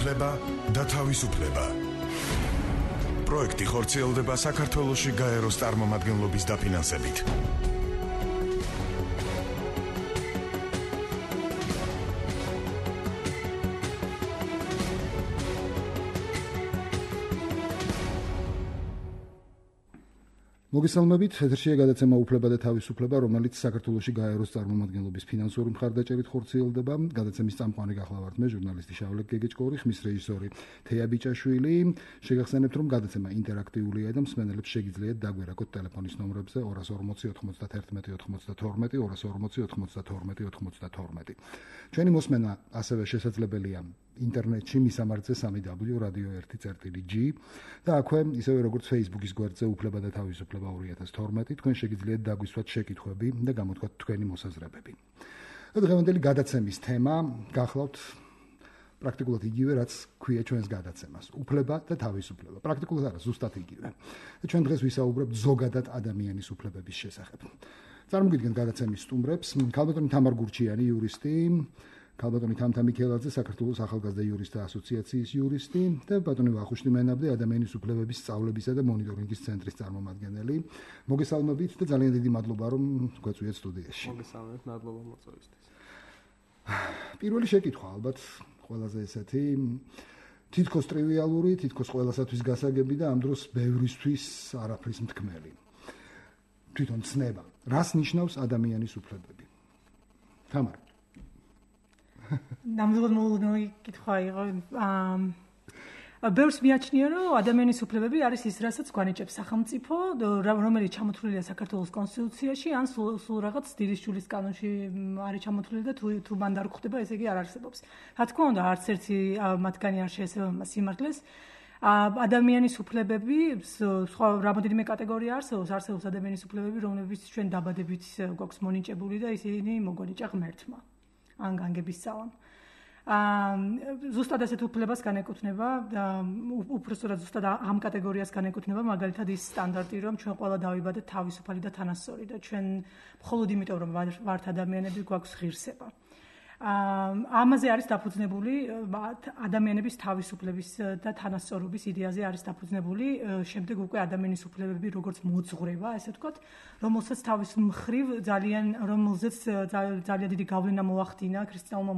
უფლება და თავისუფლება. პროექტი ხორციელდება საქართველოში გაეროს წარმომადგენლობის დაფინანსებით. მოგესალმებით, ეთერშია გადაცემა უფლება და თავისუფლება, რომელიც საქართველოში გაეროს წარმომადგენლობის ფინანსური მხარდაჭერით ხორციელდება. გადაცემის წამყვანი გახლავართ მე, ჟურნალისტი შავლე გეგეჭკორი, ხმის რეჟისორი თეა ბიჭაშვილი. შეგახსენებთ, რომ გადაცემა ინტერაქტიულია და მსმენელებს შეგიძლიათ დაგვერაგოთ ტელეფონის ნომრებზე 240 91 92, 240 92 92. ჩვენი მოსმენა ასევე შესაძლებელია ინტერნეტში მისამართზე www.radio1.g და აქვე ისევე როგორც Facebook-ის გვერდზე უფლება და თავისუფლება 2012 თქვენ შეგიძლიათ დაგვისვათ შეკითხვები და გამოთქვათ თქვენი მოსაზრებები. დღევანდელი გადაცემის თემა გახლავთ პრაქტიკულად იგივე, რაც ქვია ჩვენს გადაცემას. უფლება და თავისუფლება. პრაქტიკულად არა, ზუსტად იგივე. ჩვენ დღეს ვისაუბრებთ ზოგადად ადამიანის უფლებების შესახებ. წარმოგიდგენთ გადაცემის სტუმრებს, ქალბატონი თამარ გურჩიანი, იურისტი, ქალბატონი თამთა მიქელაძე, საქართველოს ახალგაზრდა იურისტთა ასოციაციის იურისტი და ბატონი ვახუშტი მენაბდი, ადამიანის უფლებების სწავლებისა და მონიტორინგის ცენტრის წარმომადგენელი. მოგესალმებით და ძალიან დიდი მადლობა, რომ გვეწვიეთ სტუდიაში. მოგესალმებით, მადლობა მოწვევისთვის. პირველი შეკითხვა ალბათ ყველაზე ესეთი თითქოს ტრივიალური, თითქოს ყველასათვის გასაგები და ამ დროს ბევრისთვის არაფრის მთქმელი. თვითონ ცნება, რას ნიშნავს ადამიანის უფლებები? თამარ. ნამდვილად მოულოდნელი კითხვა იყო. ბევრს მიაჩნია, რომ ადამიანის უფლებები არის ის, რასაც გვანიჭებს სახელმწიფო, რომელიც ჩამოთვლილია საქართველოს კონსტიტუციაში, ან სულ რაღაც დილისჯულის კანონში არის ჩამოთვლილი და თუ მან არ გვხვდება, ესე იგი არ არსებობს. რა თქმა უნდა, არც ერთი მათგანი არ შეესაბამება მას სიმართლეს. ადამიანის უფლებები, სხვა რამოდენიმე კატეგორია არსებობს ადამიანის უფლებები, რომლებიც ჩვენ დაბადებით გვაქვს მონიჭებული და ისინი მოგვანიჭა ღმერთმა. ან განგების ძალამ. ზუსტად ასეთ უფლებას განეკუთვნება, უпростоრად ზუსტად ამ კატეგორიას განეკუთვნება მაგალითად ის სტანდარტი, რომ ჩვენ ყველა დავიბადეთ თავისუფალი და თანასწორი და ჩვენ მხოლოდ იმიტომ, რომ ვართ ადამიანები, გვაქვს ღირსება. ამაზე არის დაფუძნებული ადამიანების თავისუფლების და თანასწორობის იდეაზე არის დაფუძნებული შემდეგ უკვე ადამიანის უფლებები როგორც მოძღვრება, ესე ვთქვათ, რომელსაც თავის მხრივ რომელზეც ძალიან დიდი გავლენა მოახდინა ქრისტიანულმა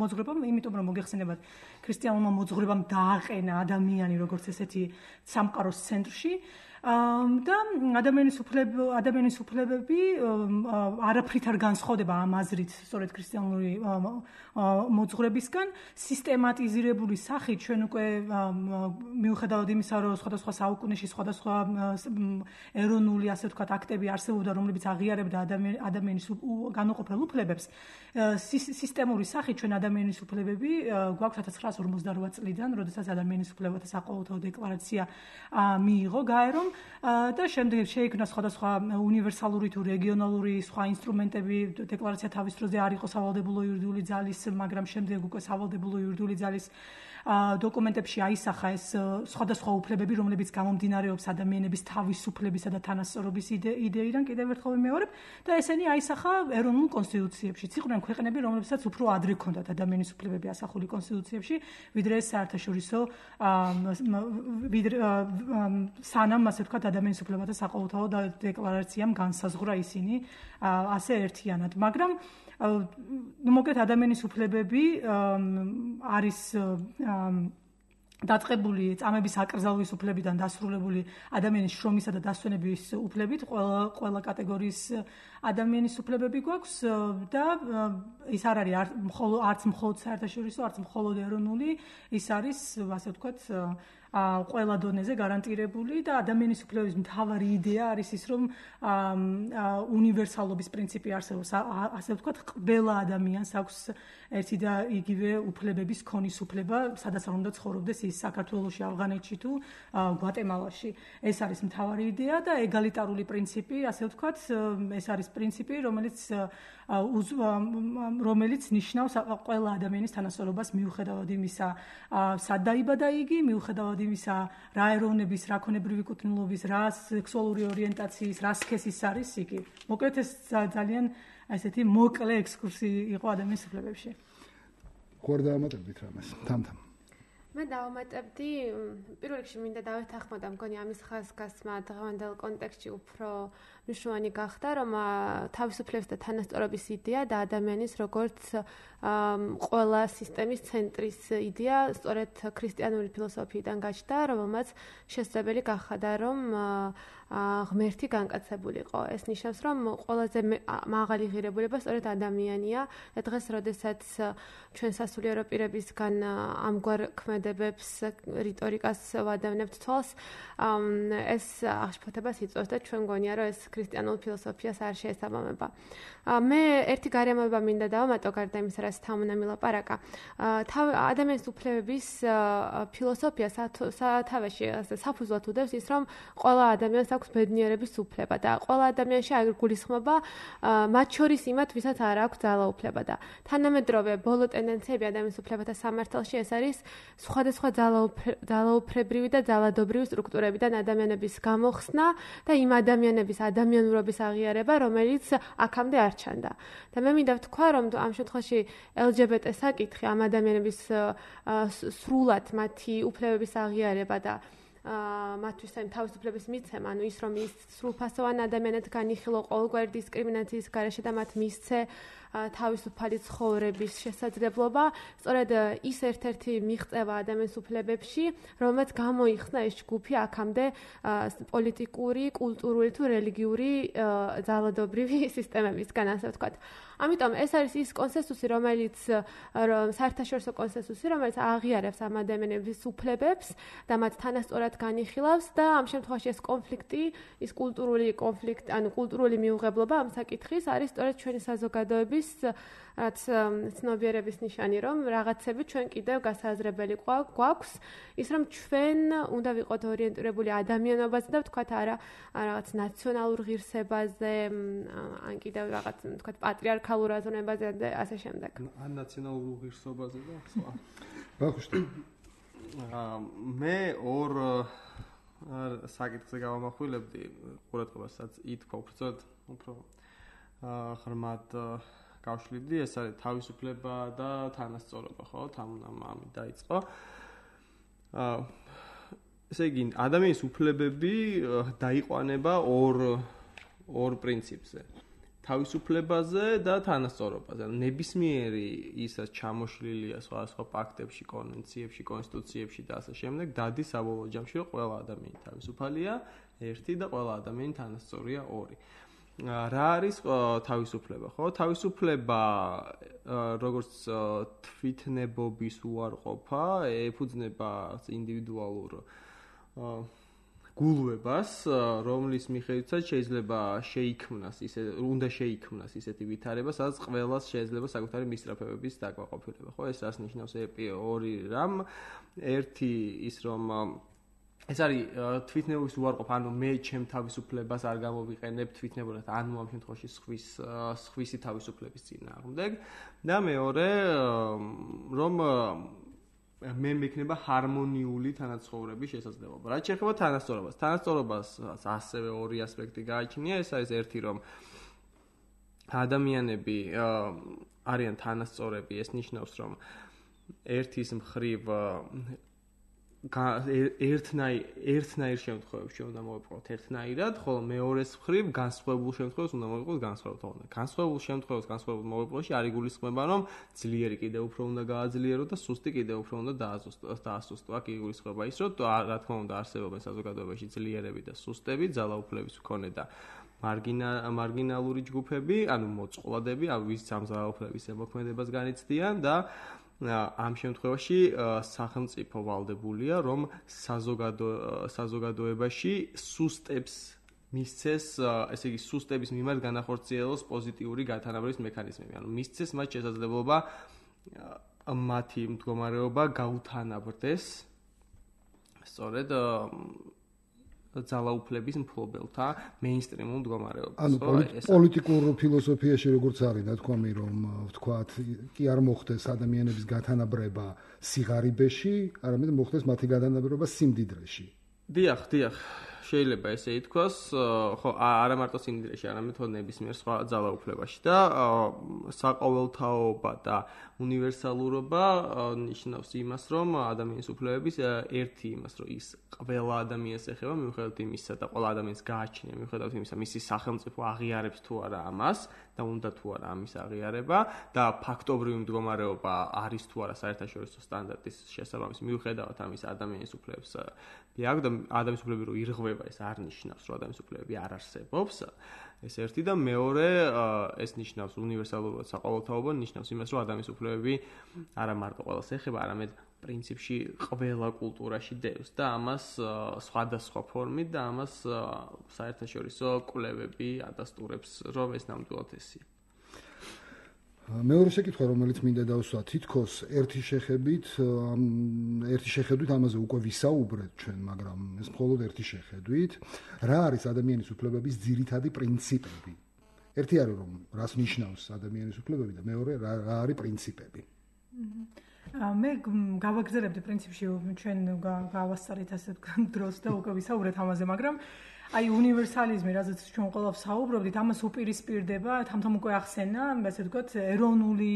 მოძღვრებამ, იმიტომ რომ მოგეხსენებათ, ქრისტიანულმა მოძღვრებამ დააყენა ადამიანი როგორც ესეთი სამყაროს ცენტრში. და ადამიანის უფლებები არაფრით არ განსხვავდება ამ აზრით, სწორედ ქრისტიანული მოძღვრებისგან, სისტემატიზირებული სახით ჩვენ უკვე მიუხედავად იმისა, რომ სხვადასხვა საუკუნეში სხვადასხვა ეროვნული, ასე ვთქვათ, აქტები არსებობდა, რომლებიც აღიარებდა ადამიანის განუყოფელ უფლებებს, სისტემური სახით ჩვენ ადამიანის უფლებები გვაქვს 1948 წლიდან, როდესაც ადამიანის უფლებათა საყოველთაო დეკლარაცია მიიღო გაერომ და შემდეგ შეიქმნა სხვადასხვა უნივერსალური თუ რეგიონალური სხვა ინსტრუმენტები, დეკლარაცია თავის დროზე არ იყო სავალდებულო იურიდიული ძალის, მაგრამ შემდეგ უკვე სავალდებულო იურიდიული ძალის დოკუმენტებში აისახა ეს სხვადასხვა უფლებები, რომლებიც გამომდინარეობს ადამიანების თავისუფლებისა და თანასწორობის იდეიდან, კიდევ ერთხელ ვიმეორებ, და ესენი აისახა ეროვნულ კონსტიტუციებში. იყვნენ ქვეყნები, რომლებსაც უფრო ადრე ჰქონდათ ადამიანის უფლებები ასახული კონსტიტუციებში, ვიდრე საერთაშორისო სანამ, ასე ვთქვათ, ადამიანის უფლებათა საყოველთაო დეკლარაციამ განსაზღვრა ისინი ასე ერთიანად, მაგრამ მოკლედ ადამიანის უფლებები არის დაწყებული წამების აკრძალვის უფლებიდან დასრულებული ადამიანის შრომისა და დასვენების უფლებით, ყველა კატეგორიის ადამიანის უფლებები გვაქვს და ის არ არის არც მხოლოდ საერთაშორისო, არც მხოლოდ ეროვნული, ის არის, ასე ვთქვათ, ყველა დონეზე გარანტირებული და ადამიანის უფლებების მთავარი იდეა არის ის, რომ უნივერსალობის პრინციპი არსებობს, ასე ვთქვათ, ყველა ადამიანს აქვს ერთი და იგივე უფლებების ქონის უფლება, სადაც არ უნდა ცხოვრობდეს ის საქართველოში, ავღანეთში თუ გვატემალაში. ეს არის მთავარი იდეა და ეგალიტარული პრინციპი, ასე ვთქვათ, ეს არის პრინციპი, რომელიც ნიშნავს ყველა ადამიანის თანასწორობას მიუხედავად იმისა, სად დაიბადა იგი, მიუხედავად იმისა, რა ეროვნების, რა ქონებრივი კუთვნილობის, რა სექსუალური ორიენტაციის, რა სქესის არის იგი. მოკლედ ეს ძალიან ესეთი მოკლე ექსკურსი იყო ადამიანის უფლებებში. ხო არ დაამატებდით რამეს თამთამ მე დავამატებდი პირველ რიგში მინდა დავეთანხმოდა მგონი ამის ხაზგასმა დღევანდელ კონტექსტში უფრო მნიშვნელოვანი გახდა რომ თავისუფლების და თანასწორობის იდეა და ადამიანის როგორც ყველა სისტემის ცენტრის იდეა სწორედ ქრისტიანული ფილოსოფიიდან გაჩნდა რომელმაც შესაძლებელი გახადა რომ ღმერთი განკაცებულიყო ეს ნიშნავს რომ ყველაზე მაღალი ღირებულება სწორედ ადამიანია და დღეს როდესაც ჩვენ სასულიერო პირებისგან ამგვარ ქმედებებს რიტორიკას ვადევნებთ თვალს ეს აღშფოთებას იწვევს და ჩვენ გონია რომ ეს ქრისტიანულ ფილოსოფიას არ შეესაბამება მე ერთი გარემოება მინდა დავამატო გარდა იმისა რაც თამუნამ ილაპარაკა ადამიანის უფლებების ფილოსოფია სათავეში საფუძვლად უდევს ის რომ ყველა ადამიანს აქვს ბედნიერების უფლება და ყველა ადამიანში არ გულისხმობა მათ შორის იმათ ვისაც არ აქვს ძალაუფლება და თანამედროვე ბოლო ტენდენციები ადამიანის უფლებათა სამართალში ეს არის სხვადასხვა ძალაუფლებრივი და ძალადობრივი სტრუქტურებიდან ადამიანების გამოხსნა და იმ ადამიანების ადამიანურობის აღიარება რომელიც აქამდე არ ჩანდა და მე მინდა ვთქვა რომ ამ შემთხვევაში LGBT საკითხი ამ ადამიანების სრულად მათი უფლებების აღიარება და მათთვის ამ თავისუფლების მიცემა, ანუ ის რომ ის სრულფასოვან ადამიანად განიხილო ყოველგვარი დისკრიმინაციის გარეშე და მათ მისცე თავისუფალი ცხოვრების შესაძლებლობა, სწორედ ის ერთ-ერთი მიღწევა ადამიანის უფლებებში, რომელმაც გამოიხსნა ეს ჯგუფი აქამდე პოლიტიკური, კულტურული თუ რელიგიური ძალადობრივი სისტემებისგან, ასე ვთქვათ. ამიტომ ეს არის ის კონსენსუსი, რომელიც საერთაშორისო კონსენსუსი, რომელიც აღიარებს ამ ადამიანების უფლებებს და მათ თანასწორად განიხილავს და ამ შემთხვევაში ეს კონფლიქტი, ის კულტურული კონფლიქტი, ანუ კულტურული მიუღებლობა ამ საკითხის არის სწორედ ჩვენი საზოგადოების რაც ცნობიერების ნიშანი, რომ რაღაცები ჩვენ კიდევ გასაზრებელი გვაქვს, ის რომ ჩვენ უნდა ვიყოთ ორიენტირებული ადამიანობაზე და ვთქვათ არა რაღაც ნაციონალურ ღირსებაზე, ან კიდევ რაღაც ვთქვათ პატრიარქალურ აზროვნებაზე და ასე შემდეგ. ან ნაციონალურ ღირსებაზე და სხვა. ბახუშტი. მე ორ საკითხზე გავამახვილებდი ყურადღებასაც ითქვა უფრო ღრმად გავშლიდი, ეს არის თავისუფლება და თანასწორობა, ხო? ამით დაიწყო. ესე იგი, ადამიანის უფლებები დაიყვანება ორ პრინციპზე. თავისუფლებაზე და თანასწორობაზე. ნებისმიერი ისაც ჩამოშლილია სხვა პაქტებში, კონვენციებში, კონსტიტუციებში და ასე შემდეგ, დადის საბოლოო ჯამში, რომ ყველა ადამიანი თავისუფალია, ერთი და ყველა ადამიანი თანასწორია, ორი. რა არის თავისუფლება, ხო? თავისუფლება როგორც თვითნებობის უარყოფა, ეფუძნება ინდივიდუალურ გულვებას, რომლის მიხედვითაც შეიძლება უნდა შეიქმნას ისეთი ვითარება, სადაც ყველას შეიძლება საკუთარი მისწრაფებების დაკმაყოფილება, ხო? ეს რას ნიშნავს ორი რამ? ერთი ის რომ ეს არის თვითნებობის უარყოფა, ანუ მე ჩემ თავისუფლებას არ გამოვიყენებ თვითნებურად, ანუ ამ შემთხვევაში სხვისი თავისუფლების წინააღმდეგ და მეორე რომ მე მექნება ჰარმონიული თანაცხოვრების შესაძლებლობა. რაც შეეხება თანასწორობას. თანასწორობას ასევე ორი ასპექტი გააჩნია, ეს არის ერთი რომ ადამიანები არიან თანასწორები, ეს ნიშნავს რომ ერთის მხრივ ერთნაირ შემთხვევებში უნდა მოვიყვოთ ერთნაირად, ხოლო მეორეს მხრივ განსხვავებულ შემთხვევებში უნდა მოვიყვოთ განსხვავებულად. განსხვავებულ შემთხვევაში განსხვავებულ მოვიყვოში არ იგულისხმება, რომ ძლიერი კიდევ უფრო უნდა გააძლიერო და სუსტი კიდევ უფრო უნდა დაასუსტო. აქ იგულისხმება ის, რომ რა თქმა უნდა არსებობენ საზოგადოებაში ძლიერები და სუსტები, ძალაუფლების მქონე და მარგინალური ჯგუფები, ანუ მოწყვლადები, ვის ამ ძალაუფლების ზემოქმედებას განიცდიან და ამ შემთხვევაში სახელმწიფო ვალდებულია, რომ საზოგადოებაში სუსტებს მისცეს, ესე იგი სუსტების მიმართ განახორციელოს პოზიტიური გათანაბრების მექანიზმები. ანუ მისცეს მათ შესაძლებლობა მათი მდგომარეობა გაუთანაბრდეს სწორედ ძალაუფლების მფლობელთა მეინსტრიმულ მდგომარეობას. ანუ პოლიტიკურ ფილოსოფიაში როგორც არის ნათქვამი, რომ ვთქვათ, კი არ მოხდეს ადამიანების გათანაბრება სიღარიბეში, არამედ მოხდეს მათი გათანაბრება სიმდიდრეში. დიახ, შეიძლება ესე ითქვას, ხო, არა მარტო სინდრომში, არამედ თო ნებისმიერ სხვა ძალაუფლებაში და საყოველთაობა და უნივერსალურობა ნიშნავს იმას, რომ ადამიანის უფლებების ერთი იმას, რომ ის ყველა ადამიანს ეხება მიუხედავად იმისა და ყველა ადამიანს გააჩნია მიუხედავად იმისა, მისი სახელმწიფო აღიარებს თუ არა ამას და უნდა თუ არა ამის აღიარება და ფაქტობრივი მდგომარეობა არის თუ არა საერთაშორისო სტანდარტის შესაბამისი მიუხედავად ამის ადამიანის უფლებებს აქვს და ადამიანის უფლები რო ირღვევა ეს არ ნიშნავს რომ ადამიანის უფლებები არ არსებობს ეს ერთი და მეორე ეს ნიშნავს უნივერსალურად საყოველთაობა ნიშნავს იმას რომ ადამიანის უფლებები არა მარტო ყველას ეხება არამედ პრინციპში ყველა კულტურაში დევს და ამას სხვადასხვა ფორმით და ამას საერთაშორისო კვლევები ადასტურებს რომ ეს ნამდვილად ესეა. მეორე შეკითხვა რომელიც მინდა დავსვა თითქოს ერთი შეხედვით ამაზე უკვე ვისაუბრეთ ჩვენ მაგრამ ეს მხოლოდ ერთი შეხედვით რა არის ადამიანის უფლებების ძირითადი პრინციპები ერთი არის რომ რას ნიშნავს ადამიანის უფლებები და მეორე რა არის პრინციპები მე გავაგზავნებდი პრინციპში ჩვენ გავასწარეთ ასე დროს და უკვე ვისაუბრეთ ამაზე მაგრამ აი უნივერსალიზმი, რაზეც ჩვენ ყველა ვსაუბრობდით, ამას უპირისპირდება, თამთამ უკვე ახსენა, ასე ვთქვათ, ეროვნული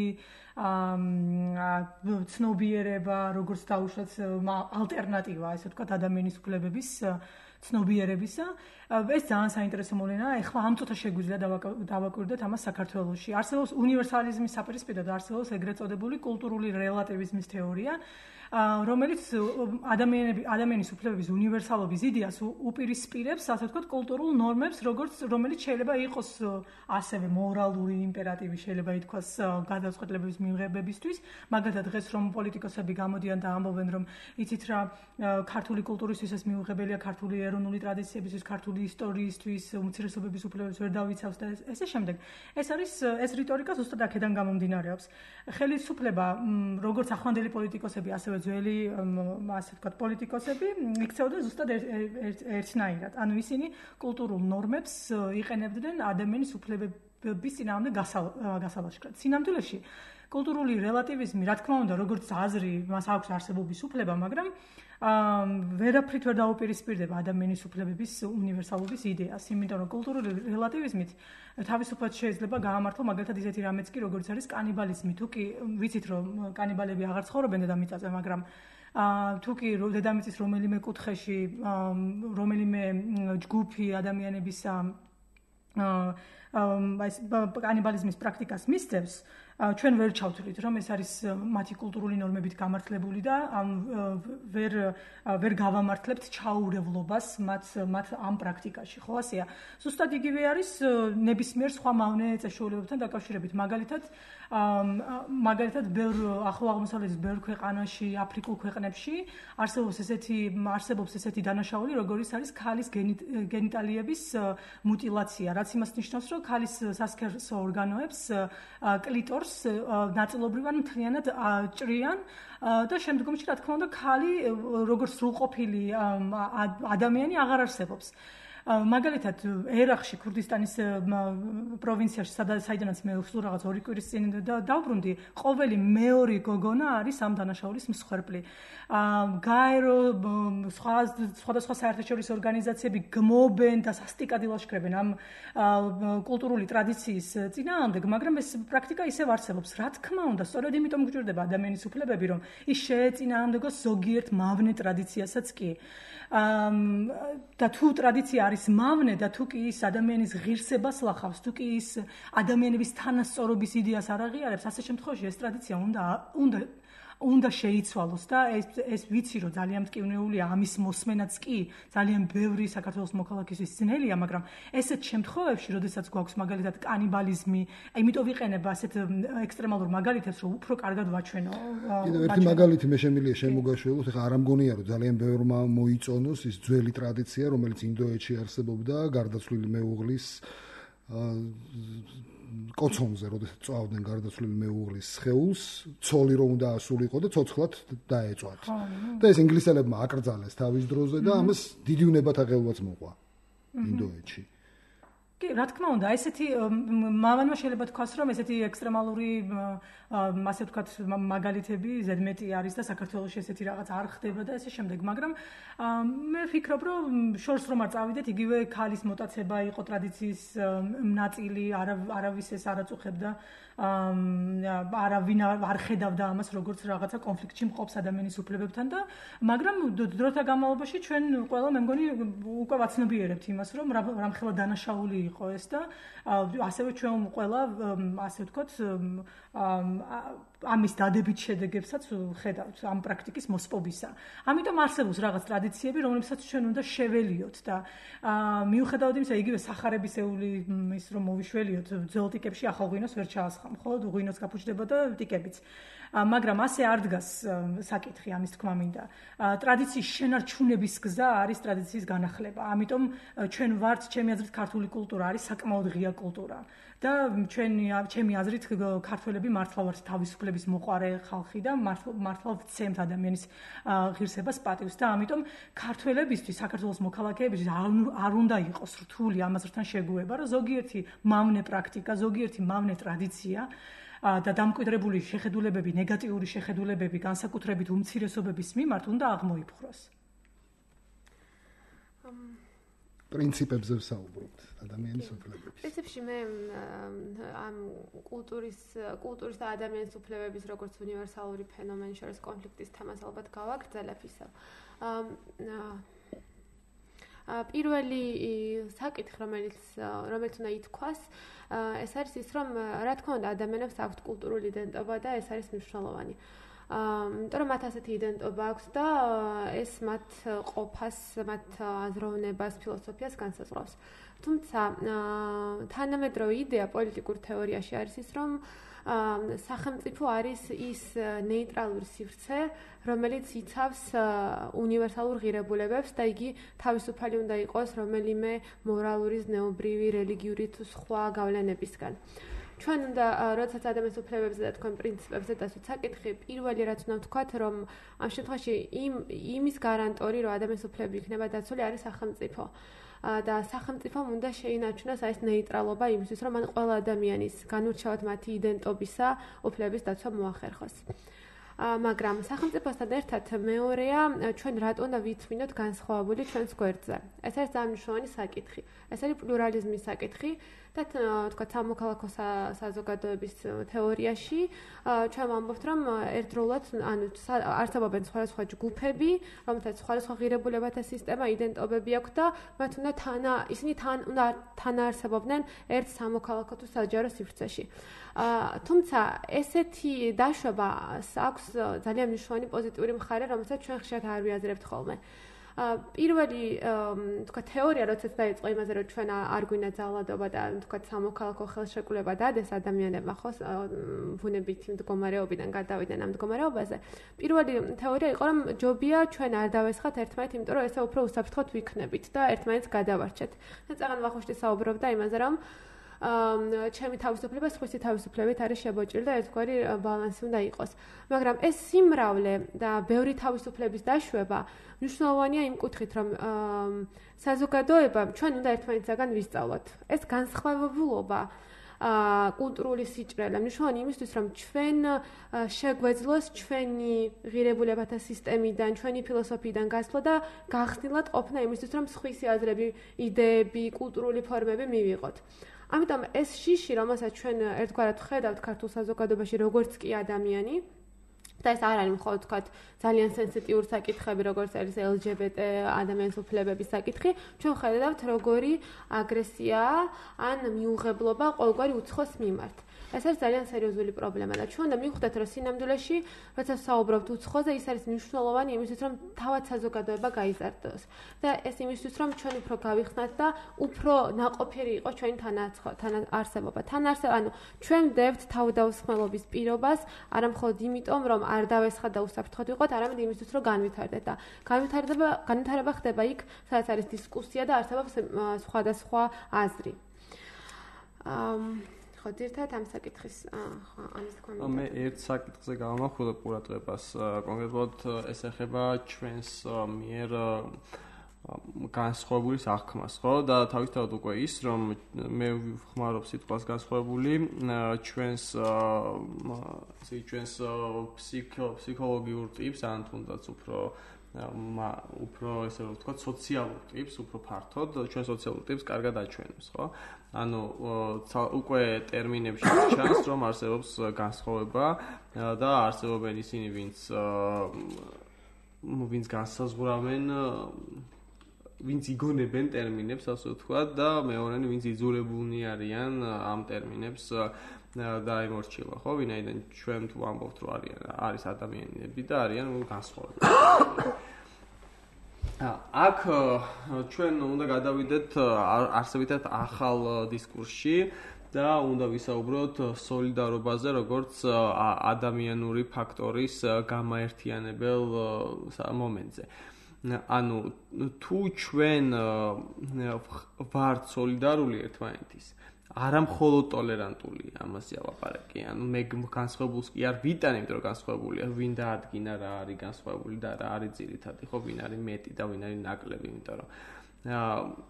ცნობიერება, როგორც დაუშვათ ალტერნატივა, ასე ვთქვათ, ადამიანის უფლებების ცნობიერებისა. ეს ძალიან საინტერესო მოვლენაა. ეხლა ამ წუთას შეგვიძლია დავაკვირდეთ ამას საქართველოში. არსებობს უნივერსალიზმის საპირისპიროდ არსებობს ეგრეთ წოდებული კულტურული რელატივიზმის თეორია. რომელიც ადამიანის უფლებების უნივერსალობის იდეას უპირისპირებს, ასე ვთქვათ, კულტურულ ნორმებს, რომელიც შეიძლება იყოს ასევე მორალური იმპერატივი, შეიძლება ითქვას გადაწყვეტილებების მიღებებისთვის. მაგალითად, დღეს რომ პოლიტიკოსები გამოდიან და ამბობენ, რომ იცით რა, ქართული კულტურისთვის ეს მიუღებელია, ქართული ეროვნული ტრადიციებისთვის, ქართული ისტორიისთვის, უმცირესობების უფლებებს ვერ დავიცავს და ესე შემდეგ. ეს რიტორიკა ზუსტად აქედან გამომდინარეობს. ხელისუფლება, როგორც ახლანდელი პოლიტიკოსები, ასევე ძველი ასე ვთქვათ პოლიტიკოსები იქცეოდა ზუსტად ერთნაირად. ანუ ისინი კულტურულ ნორმებს იყენებდნენ ადამიანის უფლებების წინააღმდეგ გასალაშქრად. სინამდვილეში კულტურული რელატივიზმი, რა თქმა უნდა, როგორც აზრი, მას აქვს არსებობის უფლება, მაგრამ ვერაფრით ვერ დაუპირისპირდება ადამიანის უფლებების უნივერსალობის იდეას, იმიტომ რომ კულტურული რელატივიზმით თავისუფლად შეიძლება გაამართლო მაგალითად ისეთი რამეც კი როგორც არის კანიბალიზმი. თუ კი ვიცით რომ კანიბალები აღარ ცხოვრობენ დედამიწაზე, მაგრამ თუ კი დედამიწის რომელიმე კუთხეში რომელიმე ჯგუფი ადამიანების კანიბალიზმის პრაქტიკას მისდევს, ჩვენ ვერ ჩავთვლით რომ ეს არის მათი კულტურული ნორმებით გამართლებული და ვერ გავამართლებთ ჩაურევლობას მათ ამ პრაქტიკაში, ხო ასეა. ზუსტად იგივე არის ნებისმიერ სხვა მავნე წესჩვეულებებთან დაკავშირებით. მაგალითად, ბევრ ახლო აღმოსავლეთის ბევრ ქვეყანაში, აფრიკულ ქვეყნებში არსებობს ესეთი დანაშაული, როგორიც არის ქალის გენიტალიების მუტილაცია, რაც იმას ნიშნავს, რომ ქალის სასქესო ორგანოებს კლიტორს ნაწილობრივად მთლიანად ჭრიან და შემდგომში რა თქმა უნდა ქალი როგორც სრულყოფილი ადამიანი აღარ არსებობს. მაგალითად ერაყში, ქურდისტანის პროვინციაში, საიდანაც მე სულ რაღაც 2 კვირის წინ დავბრუნდი, ყოველი მეორე გოგონა არის ამ დანაშაულის მსხვერპლი. გაერო სხვადასხვა საერთაშორისო ორგანიზაციები გმობენ და სასტიკად ილაშქრებენ ამ კულტურული ტრადიციის წინააღმდეგ, მაგრამ ეს პრაქტიკა ისევ არსებობს. რა თქმა უნდა, სწორედ იმიტომ გვჭირდება ადამიანის უფლებები, რომ ის შეეწინააღმდეგოს ზოგიერთ მავნე ტრადიციასაც კი. და თუ ტრადიცია არის მავნე და თუ კი ის ადამიანის ღირსებას ლახავს, თუ კი ის ადამიანების თანასწორობის იდეას არ აღიარებს, ასე შემთხვევაში ეს ტრადიცია უნდა შეიცვალოს და ეს ვიცი რომ ძალიან მტკივნეულია ამის მოსმენაც კი ძალიან ბევრი საქართველოს მოქალაქისთვის ძნელია, მაგრამ ესეთ შემთხვევებში, როდესაც გვაქვს მაგალითად კანიბალიზმი, იმიტომ ვიყენებ ასეთ ექსტრემალურ მაგალითებს, რომ უფრო კარგად ვაჩვენო. ერთი მაგალითი მე შემიძლია შემოგაშველოს, ეხლა არ ამგონია რომ ძალიან ბევრმა მოიწონოს ის ძველი ტრადიცია, რომელიც ინდოეთში არსებობდა, გარდაცვლილი მეუღლის კოცონზე, როდესაც წავდნენ გარდაცვლილი მეუღლის სხეულს, ცოლი რომ უნდა ასულიყო და ცოცხლად დაეწვათ. და ეს ინგლისელებმა აკრძალეს თავის დროზე და ამას დიდი უნებათაღელვაც მოყვა ინდოეთში. კი, რა თქმა უნდა, ესეთი მავანმა შეიძლება თქვას, რომ ესეთი ექსტრემალური ასე ვთქვათ, მაგალითები ზედმეტი არის და საქართველოში ესეთი რაღაც არ ხდება და ესე შემდეგ, მაგრამ მე ვფიქრობ, რომ შორს რომ არ წავიდეთ, იგივე ქალის მოტაცება იყო ტრადიციის ნაწილი, არავის ეს არ აწუხებდა, არავინ არ ხედავდა ამას როგორც რაღაცა კონფლიქტში მყოფს ადამიანის უფლებებთან და მაგრამ დროთა განმავლობაში ჩვენ ყველა მე მგონი უკვე ვაცნობიერებთ იმას, რომ რამხელა დანაშაული იყო ეს და ასევე ჩვენ ყველა ასე ვთქვათ ამის დადებით შედეგებსაც ხედავთ ამ პრაქტიკის მოსპობისა. ამიტომ არსებობს რაღაც ტრადიციები, რომლებსაც ჩვენ უნდა შეველიოთ და მიუხედავად იმისა, იგივე სახარებისეული ის რომ მოვიშველიოთ ძველ ტიკებში ახალ ღვინოს ვერ ჩაასხამ, ხო? ღვინოც გაფუჭდება და ტიკებიც. მაგრამ ასე არ დგას საკითხი ამის თქმა მინდა. ტრადიციის შენარჩუნების გზა არის ტრადიციის განახლება. ამიტომ ჩვენ ვართ, ჩემი აზრით, ქართული კულტურა არის საკმაოდ ღია კულტურა. და ჩემი აზრით, ქართველები მართლა ვართ თავისუფლების მოყვარე ხალხი და მართლა ვცემთ ადამიანის ღირსებას, პატივს და ამიტომ ქართველებისთვის, საქართველოს მოქალაქეებისთვის არ უნდა იყოს რთული ამასთან შეგუება, რომ ზოგიერთი მავნე პრაქტიკა, ზოგიერთი მავნე ტრადიცია და დამკვიდრებული შეხედულებები, ნეგატიური შეხედულებები, განსაკუთრებით უმცირესობების მიმართ უნდა აღმოიფხვროს. პრინციპებზე ვსაუბრობთ ადამიანის უფლებების. პრინციპში მე ამ კულტურის და ადამიანის უფლებების როგორც უნივერსალური ფენომენის შორის კონფლიქტის თემას ალბათ გავაგრძელებ ისევ. პირველი საკითხი, რომელიც უნდა ითქვას, ეს არის ის, რომ რა თქმა უნდა ადამიანებს აქვთ კულტურული იდენტობა და ეს არის მნიშვნელოვანი. იმიტომ რომ მათ ასეთი იდენტობა აქვს და ეს მათ ყოფას, მათ აზროვნებას, ფილოსოფიას განსაზღვრავს. თუმცა თანამედროვე იდეა პოლიტიკურ თეორიაში არის ის, რომ სახელმწიფო არის ის ნეიტრალური სივრცე, რომელიც იცავს უნივერსალურ ღირებულებებს და იგი თავისუფალი უნდა იყოს რომელიმე მორალური, ზნეობრივი, რელიგიური თუ სხვა გავლენებისგან. ჩვენ უნდა როდესაც ადამიანის უფლებებზე და თქვენ პრინციპებზე დასვით საკითხი, პირველი რაც უნდა ვთქვათ, რომ ამ შემთხვევაში იმის გარანტორი, რომ ადამიანის უფლებები იქნება დაცული, არის სახელმწიფო. და სახელმწიფომ უნდა შეინარჩუნოს ეს ნეიტრალობა იმისთვის, რომ ან ყველა ადამიანის განურჩევად მათი იდენტობისა უფლების დაცვა მოახერხოს. მაგრამ სახელმწიფოსთან ერთად მეორეა ჩვენ რატო უნდა ვითმინოთ განსხვავებული ჩვენს გვერდზე. ეს არის ძალიან მნიშვნელოვანი საკითხი. ეს არის პლურალიზმის საკითხი და თქვა სამოქალაქო საზოგადოების თეორიაში ჩვენ ვამბობთ, რომ ერთდროულად არსებობენ სხვადასხვა ჯგუფები, რომელთაც სხვადასხვა ღირებულებათა სისტემა, იდენტობები აქვს და მათ ისინი უნდა თანაარსებობდნენ ერთ სამოქალაქო თუ საჯარო სივრცეში. თუმცა ესეთი დაშვება აქვს ძალიან მნიშვნელოვანი პოზიტიური მხარე, რომელსაც ჩვენ ხშირად არ ვიაზრებთ ხოლმე. პირველი თქვა თეორია როდესაც დაიწყო იმაზე, რომ ჩვენ არ გვინდა ძალადობა და თქვა სამოქალაქო ხელშეკრულება დადეს ადამიანებმა, ხო, ბუნებითი მდგომარეობიდან გადავიდნენ ამ მდგომარეობაზე. პირველი თეორია იყო, რომ ჯობია ჩვენ არ დავესხათ ერთმანეთს, იმიტომ რომ ესე უფრო უსაფრთხოდ ვიქნებით და ერთმანეთს გადავარჩეთ. და წაღან ვახუშტი საუბრობდა იმაზე, რომ ჩემი თავისუფლება სხვისი თავისუფლებით არის შებოჭრილი და ერთგვარი ბალანსი უნდა იყოს. მაგრამ ეს სიმრავლე და ბევრი თავისუფლების დაშვება მნიშვნელოვანია იმ კუთხით, რომ საზოგადოება ჩვენ უნდა ერთმანეთსაგან ვისწავლოთ. ეს განსხვავებულობა კულტურული სიჭრელე მნიშვნელოვანი იმისთვის, რომ ჩვენ შეგვეძლოს ჩვენი ღირებულებათა სისტემიდან, ჩვენი ფილოსოფიიდან გასვლა და გახსნილად ყოფნა იმისთვის, რომ სხვისი აზრები, იდეები, კულტურული ფორმები მივიღოთ. ამიტომ ეს შიში, რომელსაც ჩვენ ერთგვარად ხედავთ ქართულ საზოგადოებაში, როგორც კი ადამიანი, და ეს არ არის მხოლოდ თქვათ ძალიან სენსიტიური საკითხები, როგორც არის LGBT ადამიანის უფლებების საკითხი, ჩვენ ხედავთ როგორი აგრესია ან მიუღებლობა ყოველგვარი უცხოს მიმართ. ეს არის ძალიან სერიოზული პრობლემა და ჩვენ უნდა მივხვდეთ, რომ სინამდვილეში, როცა საუბრობთ უცხოზე, ის არის მნიშვნელოვანი იმისთვის, რომ თავად საზოგადოება გაიზარდოს. და ეს იმისთვის, რომ ჩვენ უფრო გავიხსნათ და უფრო ნაყოფიერი იყოს ჩვენი თანაარსებობა. ანუ ჩვენ ვდებთ თავდაუსხმელობის პირობას, არა მხოლოდ იმიტომ, რომ არ დავესხათ და უსაფრთხოდ ვიყოთ, არამედ იმისთვის, რომ განვითარდეთ და განვითარება ხდება იქ, სადაც არის დისკუსია და არსებობს სხვადასხვა აზრი. ხო, ერთად ამ საკითხის ამის თქმა მინდა. მე ერთ საკითხზე გავამახვილებ ყურადღებას, კონკრეტულად ეს ეხება ჩვენს მიერ განსხვავებული აღქმას, ხო? და თავისთავად უკვე ის, რომ მე ვხმარობ სიტყვას განსხვავებული, ჩვენს ფსიქოლოგიურ ტიპს, ან თუნდაც უფრო ესე რომ ვთქვა, სოციალურ ტიპს, უფრო ფართოდ, ჩვენ სოციალურ ტიპს კარგად აჩვენებს, ხო? ანუ უკვე ტერმინებში ჩანს, რომ არსებობს განსხვავება და არსებობენ ისინი, ვინც განსაზღვრავენ, ვინც იგონებენ ტერმინებს, ასე ვთქვათ, და მეორენი, ვინც იძულებულნი არიან ამ ტერმინებს დაემორჩილა, ხო? ვინაიდან ჩვენ თუ ვამბობთ, რომ არის ადამიანები და არიან განსხვავებული. აქ ჩვენ უნდა გადავიდეთ არსებითად ახალ დისკურსში და უნდა ვისაუბროთ სოლიდარობაზე, როგორც ადამიანური ფაქტორის გამაერთიანებელ მომენტზე. ანუ თუ ჩვენ ვართ სოლიდარული ერთმანეთის, არა მხოლოდ ტოლერანტული, ამაზე ალაპარაკი. ანუ მე განსხვავებულს კი არ ვიტან, იმიტომ რომ განსხვავებულია, ვინ დაადგინა რა არის განსხვავებული და რა არის ძირითადი, ხო, ვინ არის მეტი და ვინ არის ნაკლები, იმიტომ რომ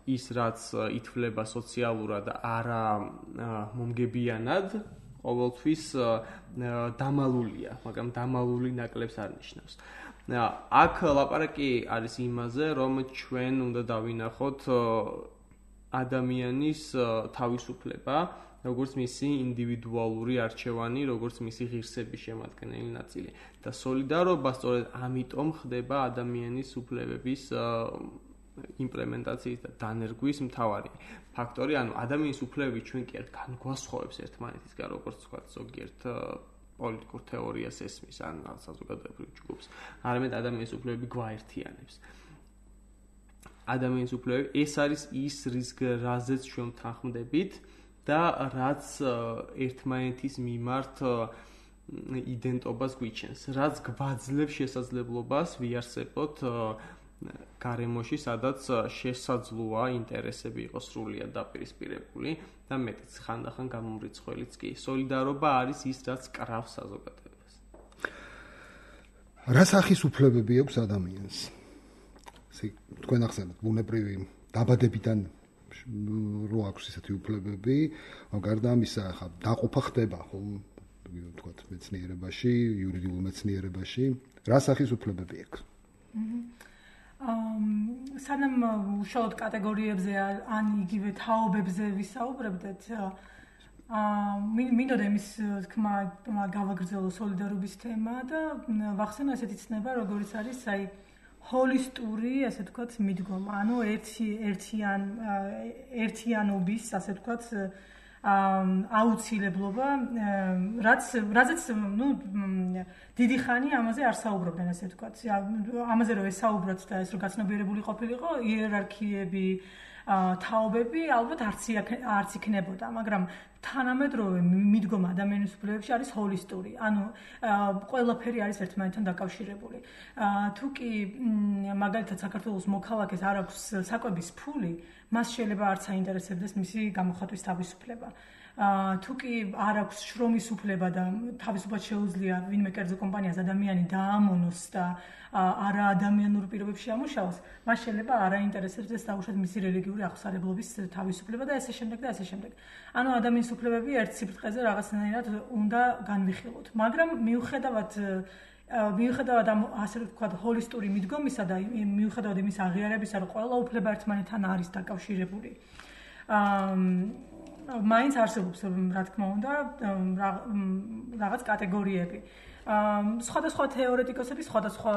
ის რაც ითვლება სოციალურად არა მომგებიანად, ყოველთვის დამალულია, მაგრამ დამალული ნაკლებს არ ნიშნავს. აქ ლაპარაკი არის იმაზე, რომ ჩვენ უნდა დავინახოთ ადამიანის თავისუფლება, როგორც მისი ინდივიდუალური არჩევანი, როგორც მისი ღირსების შემადგენელი ნაწილი. და სოლიდარობა სწორედ ამიტომ ხდება ადამიანის უფლებების იმპლემენტაციის და დანერგვის მთავარი ფაქტორი. ანუ ადამიანის უფლებები ჩვენ კი არ განგვასხვავებს ერთმანეთისგან, როგორც თქვა ზოგიერთ პოლიტიკურ თეორიას ესმის ან საზოგადოებრივ ჯგუფს, არამედ ადამიანის უფლებები გვაერთიანებს. ადამიანის უფლებები ეს არის ის, რაზეც ჩვენ თანხმდებით და რაც ერთმანეთის მიმართ იდენტობას გვიჩენს, რაც გვაძლევს შესაძლებლობას ვიარსებოთ გარემოში, სადაც შესაძლოა ინტერესები იყოს სრულიად დაპირისპირებული და მეტიც ხანდახან გამომრიცხველიც კი. სოლიდარობა არის ის, რაც კრავს საზოგადოებას. რა სახის უფლებები აქვს ადამიანს? თქვენ ახსენეთ, ბუნებრივი დაბადებიდან რო აქვს ესეთი უფლებები, გარდა ამისა, ხა დაყოფა ხდება, ხო, ვთქვათ, მეცნიერებაში, იურიდიულ მეცნიერებაში, რა სახის უფლებები აქვს? სანამ უშუალოდ კატეგორიებზე ან იგივე თაობებზე ვისაუბრებდეთ, მინდოდა იმის თქმა გავაგრძელო სოლიდარობის თემა და ვახსენო ესეთი ცნება, როგორიც არის, ჰოლისტური, ასე ვთქვათ, მიდგომა. ანუ ერთიანობის, ასე ვთქვათ, აუცილებლობა, რაზეც, დიდი ხანი ამაზე არ საუბრობდნენ, ასე ვთქვათ. ამაზე რომ ესაუბროთ და ეს რომ გაცნობიერებული ყოფილიყო, იერარქიები, თაობები ალბათ არც იქნებოდა, მაგრამ თანამედროვე მიდგომა ადამიანის უფლებებში არის ჰოლისტური, ანუ ყველაფერი არის ერთმანეთთან დაკავშირებული. თუ კი მაგალითად საქართველოს მოქალაქეს არ აქვს საკვების ფული, მას შეიძლება არც აინტერესებდეს მისი გამოხატვის თავისუფლება. თუ კი არ აქვს შრომის უფლება და თავისუფლად შეუძლია ვინმე კერძო კომპანიას ადამიანი დაამონოს და არა ადამიანურ პირობებში ამუშავოს, მას შეიძლება არ აინტერესებდეს დაუშვათ მისი რელიგიური აღსარებლობის თავისუფლება და ესე შემდეგ და ესე შემდეგ. ანუ ადამიანის უფლებები ერთ სიბრტყეზე რაღაცნაირად უნდა განვიხილოთ. მაგრამ მიუხედავად ამ ასე ვთქვათ ჰოლისტური მიდგომისა და მიუხედავად იმის აღიარებისა, რომ ყველა უფლება ერთმანეთთან არის დაკავშირებული. მაინც არსებობს, რა თქმა უნდა, რაღაც კატეგორიები. სხვადასხვა თეორეტიკოსები სხვადასხვა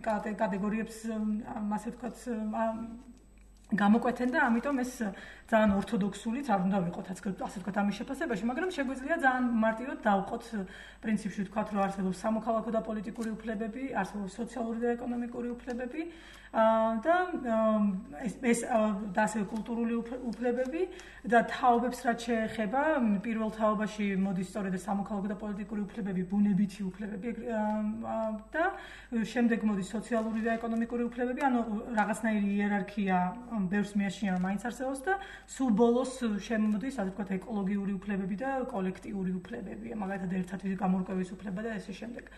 კატეგორიებს, ასე ვთქვათ, გამოკვეთენ და ამიტომ ეს ძალიან ორთოდოქსულიც არ უნდა ვიყოთ, ასე ვთქვათ, ამის შეფასებაში, მაგრამ შეგვიძლია ძალიან მარტივად დავყოთ პრინციპში ვთქვათ, რომ არსებობს სამოქალაქო და პოლიტიკური უფლებები, არსებობს სოციალური და ეკონომიკური უფლებები და ეს და ასევე კულტურული უფლებები და თაობებს რაც შეეხება, პირველ თაობაში მოდის სწორედ სამოქალაქო და პოლიტიკური უფლებები, ბუნებითი უფლებები და შემდეგ მოდის სოციალური და ეკონომიკური უფლებები, ანუ რაღაცნაირი იერარქია ბევრს მიაჩნია, მაინც არსებობს და სულ ბოლოს შემოდის, ასე ვთქვათ, ეკოლოგიური უფლებები და კოლექტიური უფლებები, მაგალითად ერთად გამორკვევის უფლება და ესე შემდეგ.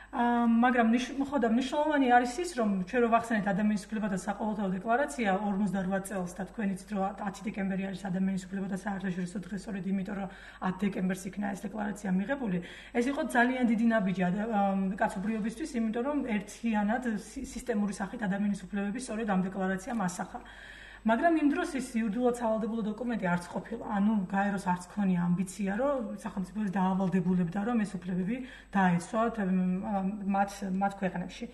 მაგრამ ხოდა მნიშვნელოვანი არის ის, რომ ჩვენ რო ვახსენეთ ადამიანის უფლებათა საყოველთაო დეკლარაცია 58 წელს და თქვენ იცით რომ 10 დეკემბერი არის ადამიანის უფლებათა საერთაშორისო დღე, სწორედ იმიტომ რომ 10 დეკემბერს იქნა ეს დეკლარაცია მიღებული. ეს იყო ძალიან დიდი ნაბიჯი კაცობრიობისთვის, იმიტომ რომ ერთიანად სისტემური სახით ადამიანის უფლებები სწორედ ამ დეკლარაციამ ასახა. მაგრამ იმ დროს ის იურიდიულად სავალდებულო დოკუმენტი არც ყოფილა. ანუ გაეროს არც ქონია ამბიცია, რომ სახელმწიფო დაავალდებულებდა, რომ ეს უფლებები დაეცვათ მათ ქვეყნებში.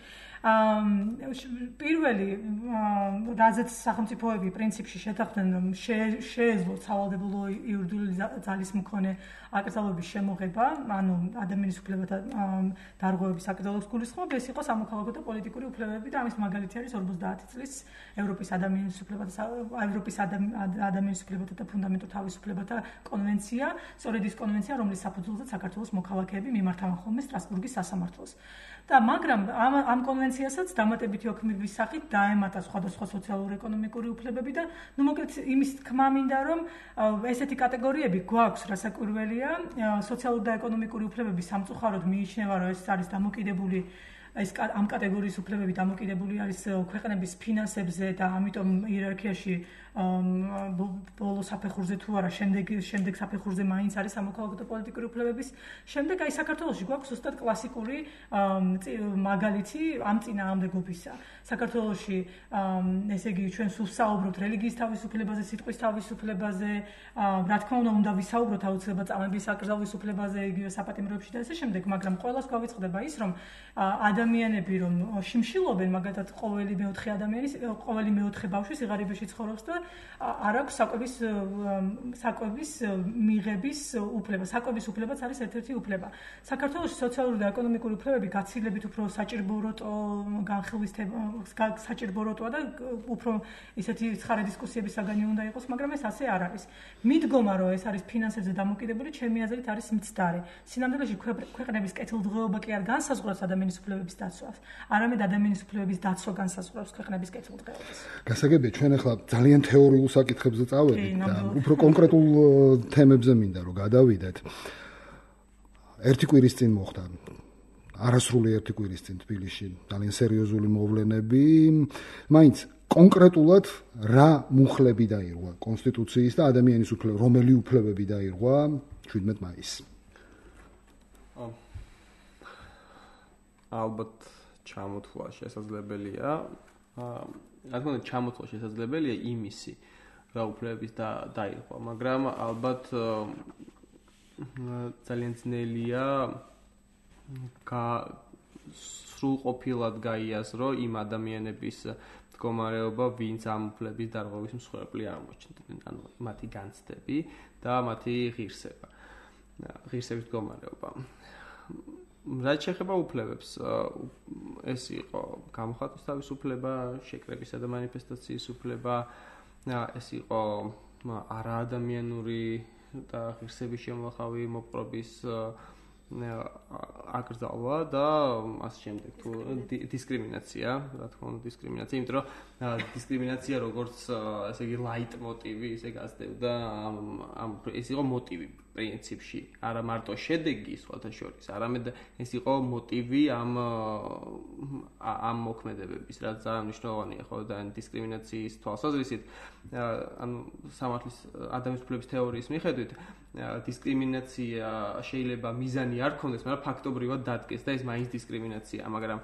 პირველი რაზეც სახელმწიფოები პრინციპში შეთანხმდნენ, რომ შეეძლოთ სავალდებულო იურიდიული ძალის მქონე აკრძალვების შემოღება, ანუ ადამიანის უფლებათა დარღვევების აკრძალვას გულისხმობ, ეს იყო სამოქალაქო და პოლიტიკური უფლებები და ამის მაგალითი არის 50 წლის ევროპის ადამიანის უფლებათა და ფუნდამენტურ თავისუფლებათა კონვენცია, სწორედ ის კონვენცია, რომლის საფუძველზეც საქართველოს მოქალაქეები მიმართავენ ხოლმე სტრასბურგის სასამართლოს. და მაგრამ ამ კონვენციასაც დამატებითი ოქმების სახით დაემატა სხვადასხვა სოციალურ-ეკონომიკური უფლებები და ნუ მოკლედ იმის თქმა მინდა რომ ესეთი კატეგორიები გვაქვს, რასაკვირველია, სოციალური და ეკონომიკური უფლებები სამწუხაროდ მიიჩნევა, რომ ეს არის დამოკიდებული ამ კატეგორიის უფლებები დამოკიდებული არის ქვეყნების ფინანსებზე და ამიტომ იერარქიაში ბოლო საფეხურზე თუ არა, შემდეგ საფეხურზე მაინც არის სამოქალაქო და პოლიტიკური უფლებების. შემდეგ აი საქართველოში გვაქვს ზუსტად კლასიკური მაგალითი ამ წინააღმდეგობისა. საქართველოში ესე იგი ჩვენ სულ საუბრობთ რელიგიის თავისუფლებაზე, სიტყვის თავისუფლებაზე, რა თქმა უნდა ვისაუბროთ აუცილებლად წამების აკრძალვის უფლებაზე, იგივე საპატიმროებში და ესე შემდეგ, მაგრამ ყველას გვავიწყდება ის, რომ ადამიანები რომ შიმშილობენ, მაგალითად ყოველი მეოთხე ბავშვი სიღარიბეში ცხოვრობს და არ აქვს საკვების მიღების უფლება. საკვების უფლებაც არის ერთ-ერთი უფლება. საქართველოს სოციალური და ეკონომიკური უფლებები გაცილებით უფრო საჭიროა და უფრო ისეთი ცხარე დისკუსიების საგანი უნდა იყოს, მაგრამ ეს ასე არ არის. მიდგომა, რომ ეს არის ფინანსებზე დამოკიდებული, ჩემი აზრით არის მცდარი. სინამდვილეში ქვეყნების კეთილდღეობა კი არ განსაზღვრავს ადამიანის უფლებების დაცვას, არამედ ადამიანის უფლებების დაცვა განსაზღვრავს ქვეყნების კეთილდღეობას. გასაგებია, ჩვენ ახლა ძალიან თეორიულ საკითხებზე წავედით და უფრო კონკრეტულ თემებზე მინდა რომ გადავიდეთ. ერთი კვირის წინ მოხდა არასრული ერთი კვირის წინ თბილისში ძალიან სერიოზული მოვლენები. მაინც კონკრეტულად რა მუხლები დაირღვა კონსტიტუციის და ადამიანის უფლებების, რომელი უფლებები დაირღვა 17 მაისს? ალბათ ჩამოთვლა შესაძლებელია. რა თქმა უნდა, ჩამოთვლა შესაძლებელია იმისი, რა უფლებების დაირღვა, მაგრამ ალბათ ძალიან ძნელია სრულყოფილად გაიაზრო იმ ადამიანების მდგომარეობა, ვინც ამ უფლების დარღვევის მსხვერპლი აღმოჩნდნენ, ანუ მათი განცდები და მათი ღირსების მდგომარეობა. რაც შეეხება უფლებებს, ეს იყო გამოხატვის თავისუფლება, შეკრებისა და მანიფესტაციის უფლება, ეს იყო არაადამიანური და ღირსების შემოხავი მოპყრობის აკრძალვა და ასე შემდეგ, თუ დისკრიმინაცია, რა თქმა უნდა დისკრიმინაცია, იმიტომ რომ დისკრიმინაცია როგორც ესე იგი ლაიტმოტივი ისე გასდევდა ეს იყო მოტივი პრინციპში, არა მარტო შედეგი სხვათა შორის, არამედ ეს იყო მოტივი ამ მოქმედებების, რაც ძალიან მნიშვნელოვანია, ხო, და დისკრიმინაციის თვალსაზრისით, ანუ სამართლის ადამიანის უფლებების თეორიის მიხედვით, დისკრიმინაცია შეიძლება მიზანი არ ქონდეს, მაგრამ ფაქტობრივად დადგეს და ეს მაინც დისკრიმინაციაა, მაგრამ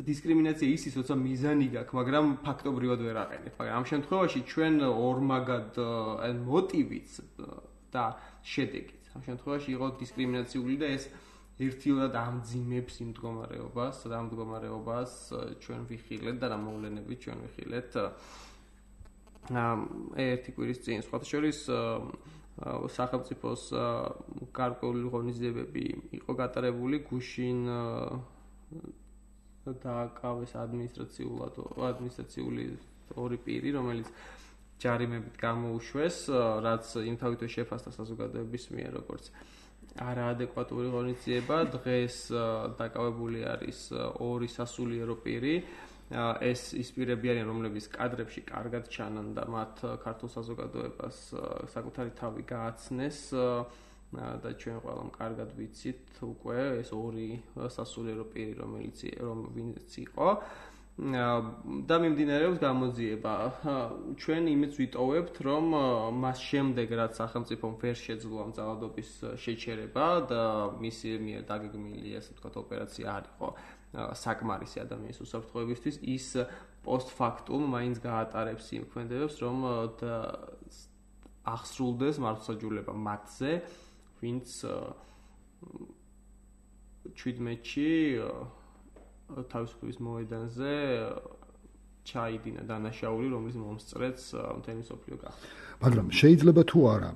დისკრიმინაცია ისიც, როცა მიზანი გაქვს, მაგრამ ფაქტობრივად ვერ აყენებს. მაგრამ ამ შემთხვევაში ჩვენ ორმაგად მოტივიც და შედეგიც. ამ შემთხვევაში იყო დისკრიმინაციული და ეს ერთიურად ამძიმებს იმ მდგომარეობას, რა მდგომარეობას ჩვენ ვიხილეთ და რა მოვლენებით ჩვენ ვიხილეთ. ერთი კვირის წინ, სხვათა შორის სახელმწიფოს გარკვეული ღონისძიებები იყო გატარებული გუშინ დააკავეს ადმინისტრაციული ორი პირი, რომელიც ჯარიმებით გამოუშვეს, რაც იმთავითვე შეფასდა საზოგადოების მიერ როგორც არაადეკვატური ღონისძიება. დღეს დაკავებული არის ორი სასულიერო პირი. ეს ის პირები არიან, რომლებიც კადრებში კარგად ჩანან და მათ ქართულ საზოგადოებას საკუთარი თავი გააცნეს და ჩვენ ყველამ კარგად ვიცით უკვე ეს ორი სასულიერო პირი რომელიც იყო და მიმდინარეობს გამოძიება. ჩვენ იმით ვიტოვებთ, რომ მას შემდეგ რაც სახელმწიფომ ვერ შეძლო ამ ძალადობის შეჩერება და მისი მიერ დაგეგმილი ასე ვთქვათ ოპერაცია არ იყო საკმარისი ადამიანის უსაფრთხოებისთვის, ის პოსტფაქტუმ მაინც გაატარებს იმ ქმედებებს, რომ აღსრულდეს მართლმსაჯულება მათზე, ვინც 17-ში თავისუფლების მოედანზე ჩაიდინა დანაშაული, რომლის მომსწრეც მთელი მსოფლიო გახდა. მაგრამ შეიძლება თუ არა,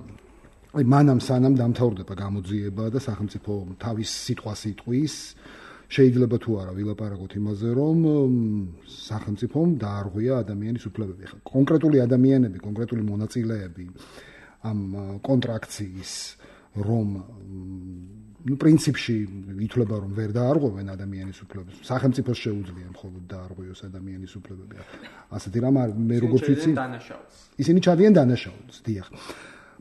აი მანამ სანამ დამთავრდება გამოძიება და სახელმწიფო თავის სიტყვას იტყვის, შეიძლება თუ არა ვილაპარაკოთ იმაზე, რომ სახელმწიფომ დაარღვია ადამიანის უფლებები. კონკრეტული ადამიანები, კონკრეტული მონაწილეები ამ კონტრაქციის რომ პრინციპში ითვლება რომ ვერ დაარღვევენ ადამიანის უფლებებს. სახელმწიფოს შეუძლია მხოლოდ დაარღვიოს ადამიანის უფლებები. ასეთი რამ მე როგორც ვიცი, ისინი ჩადიან დანაშაულს, დიახ.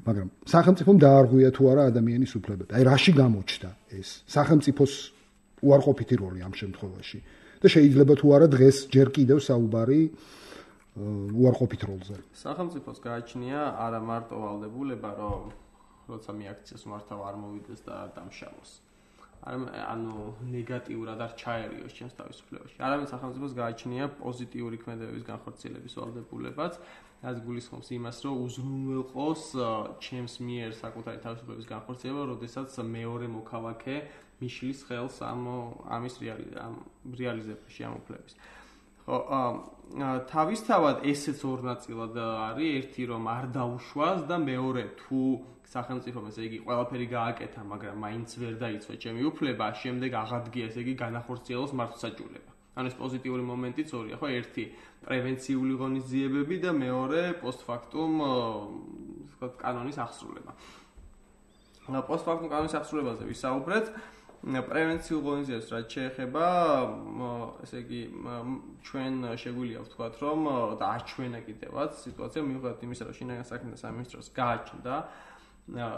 მაგრამ სახელმწიფომ დაარღვია თუ არა ადამიანის უფლებები. აი რაში გამოჩნდა ეს? სახელმწიფოს უარყოფითი როლი ამ შემთხვევაში. და შეიძლება თუ არა დღეს ჯერ კიდევ საუბარი უარყოფით როლზე. სახელმწიფოს გააჩნია არა მარტო ვალდებულება, რომ როცა მიაქციას მართავ არ მოვიდეს და დამშავოს. ანუ ნეგატიურად არ ჩაერიოს ჩემს თავისუფლებაში. არამედ სახელმწიფოს გააჩნია პოზიტიური ქმედებების განხორციელების ვალდებულებაც, რაც გულისხმობს იმას, რომ უზრუნველყოს ჩემს მიერ საკუთარი თავისუფლების განხორციელება, როდესაც მეორე მოქალაქე მიშლის ხელს ამის რეალიზებაში ამ უფლების. თავისთავად ესეც ორ ნაწილად არის, ერთი რომ არ დაუშვას და მეორე თუ სახელმწიფომ ესე იგი ყველაფერი გააკეთა, მაგრამ მაინც ვერ დაიცვა ჩემი უფლება, შემდეგ აღადგია ესე იგი განახორციელოს მართლმსაჯულება. ანუ ეს პოზიტიური მომენტიც ორია, ხო? ერთი პრევენციული ღონისძიებები და მეორე პოსტფაქტუმ ვთქვათ კანონის აღსრულება. პოსტფაქტუმ კანონის აღსრულებაზე ვისაუბრეთ. პრევენციულ ღონისძიებებს რაც შეეხება, ესე იგი ჩვენ შეგვიძლია ვთქვათ, რომ და აჩვენა კიდევაც სიტუაცია მიუხედავად იმისა, რომ შინაგან საქმეთა სამინისტროს გააჩნდა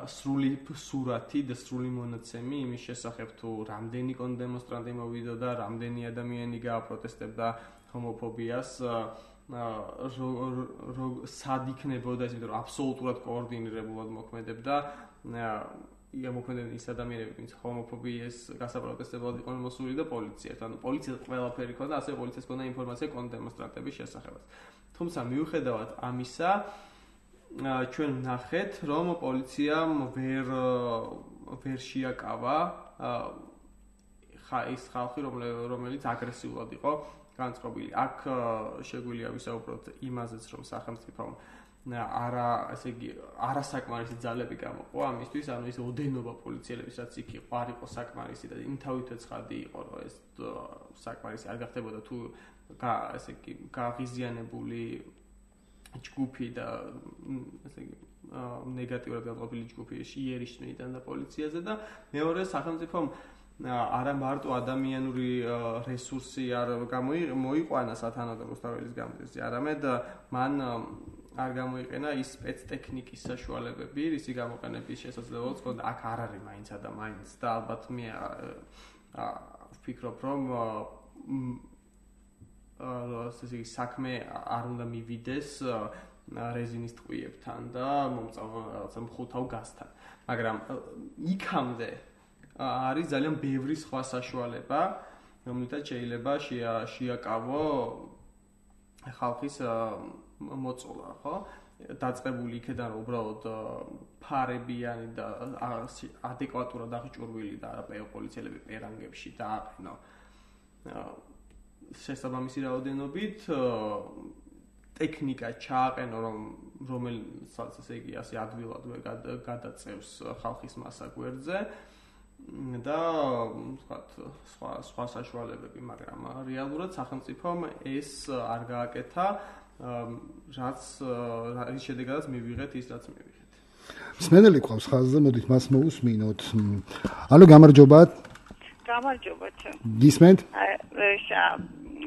სრული სურათი და სრული მონაცემი იმის შესახებ თუ რამდენი კონდემონსტრანტი მოვიდა და რამდენი ადამიანი გააპროტესტებდა ჰომოფობიას, სად იქნებოდა ეს, იმიტომ რომ აბსოლუტურად კოორდინირებულად მოქმედებდა ის ადამიანები, ვინც ჰომოფობიის გასაპროტესტებლად იყვნენ მოსული და პოლიციას. ანუ პოლიციას ყველაფერი ქონდა, ასევე პოლიციას ქონდა ინფორმაცია კონდემონსტრანტების შესახებაც. თუმცა მიუხედავად ამისა, ჩვენ ვნახეთ, რომ პოლიციამ ვერ შეაკავა ის ხალხი, რომელიც აგრესიულად იყო განწყობილი. აქ შეგვიძლია ვისაუბროთ იმაზეც, რომ სახელმწიფომ არასაკმარისი ძალები გამოყო ამისთვის, ანუ ის ოდენობა პოლიციელების, რაც იქ იყო, არ იყო საკმარისი და იმთავითვე ცხადი იყო, რომ ეს საკმარისი არ გახდებოდა თუ ესე იგი გააღიზიანებული ჯგუფი და ესე იგი ნეგატიურად განყოფილი ჯგუფი იერიშნიდან და პოლიციაზე და მეორე სახელმწიფომ არა მარტო ადამიანური რესურსი არ მოიყვანა სათანადო რუსთაველის გამოძიებაზე, არამედ მან არ გამოიყენა ის სპეცტექნიკის საშუალებები, რისი გამოყენების შესაძლებლობაც ჰქონდა. აქ არ არის მაინც და მაინც და ალბათ მე ვფიქრობ, რომ ესე იგი საქმე არ უნდა მივიდეს რეზინის ტყვიებთან და მომწავა რაღაცა მხუთავ გაზთან. მაგრამ იქამდე არის ძალიან ბევრი სხვა საშუალება, რომლითაც შეიძლება შეაკავო ხალხის მოწოლა, ხო? დაწყებული იქიდან რომ უბრალოდ ფარებიანი და ადეკვატურად აღჭურვილი და პოლიციელები პერანგებში დააყენო შესაბამისი რაოდენობით ტექნიკა ჩააყენო, რომელსაც ესე იგი ასე ადვილად გადაწევს ხალხის მასა გვერდზე და ვთქვათ სხვა საშუალებები, მაგრამ რეალურად სახელმწიფომ ეს არ გააკეთა, რაც შედეგადაც მივიღეთ ის, რაც მივიღეთ. მსმენელი ყავს ხაზზე, მოდით მას მოусმინოთ. ალო, გამარჯობა. გამარჯობა. გისმენთ?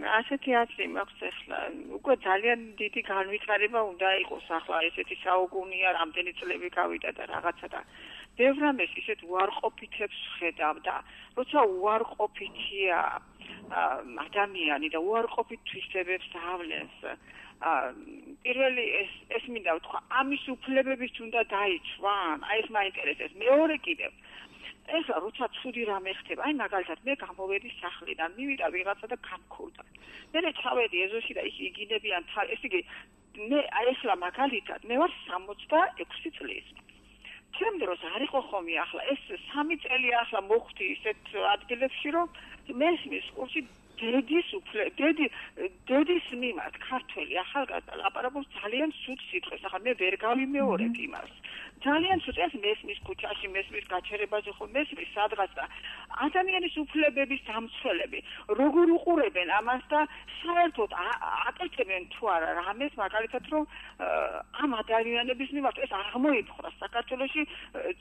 ასეთი აზრი მაქვს ახლა. უკვე ძალიან დიდი განვითარება უნდა იყოს ახლა ესეთი საუკუნეა, რამდენი წლები გავიდა და რაღაცა და ბევრ რამეს ისეთ უარყოფითებს ხედავ და როცა უარყოფითია ადამიანი და უარყოფით თვისებებს დავლენს პირველი ეს მინდა ვთქვა ამის უფლებებიც უნდა დაიცვან აი ეს მაინტერესებს მეორე კიდევ ეხლა როცა ცუდი რამე ხდება აი მაგალითად მე გამოვედი სახლიდან მივიდა ვიღაცა და გამქურდა მე ჩავედი ეზოში და ის იგინებიან ეს იგი მე აი ეხლა მაგალითად მე ვარ 66 წლის ჩემ დროს არ იყო ხომი ახლა ეს 3 წელი ახლა მოხდი ისეთ ადგილებში რომ მესმის ყურში დედის მიმართ ქართველი ახალგაზრდა ლაპარაკობს ძალიან სուთ სიტყვებს ახლა მე ვერ გავიმეორებ იმას ძალიან სუთ ეს მესმის ქუჩაში მესმის გაჩერებაზე ხო მესმის სადღაც და ადამიანის უფლებების დამცველები როგორ უყურებენ ამას და საერთოდ აკეთებენ თუ არა რამეს მაგალითად რომ ამ ადამიანების მიმართ ეს აღმოიფხვრა საქართველოში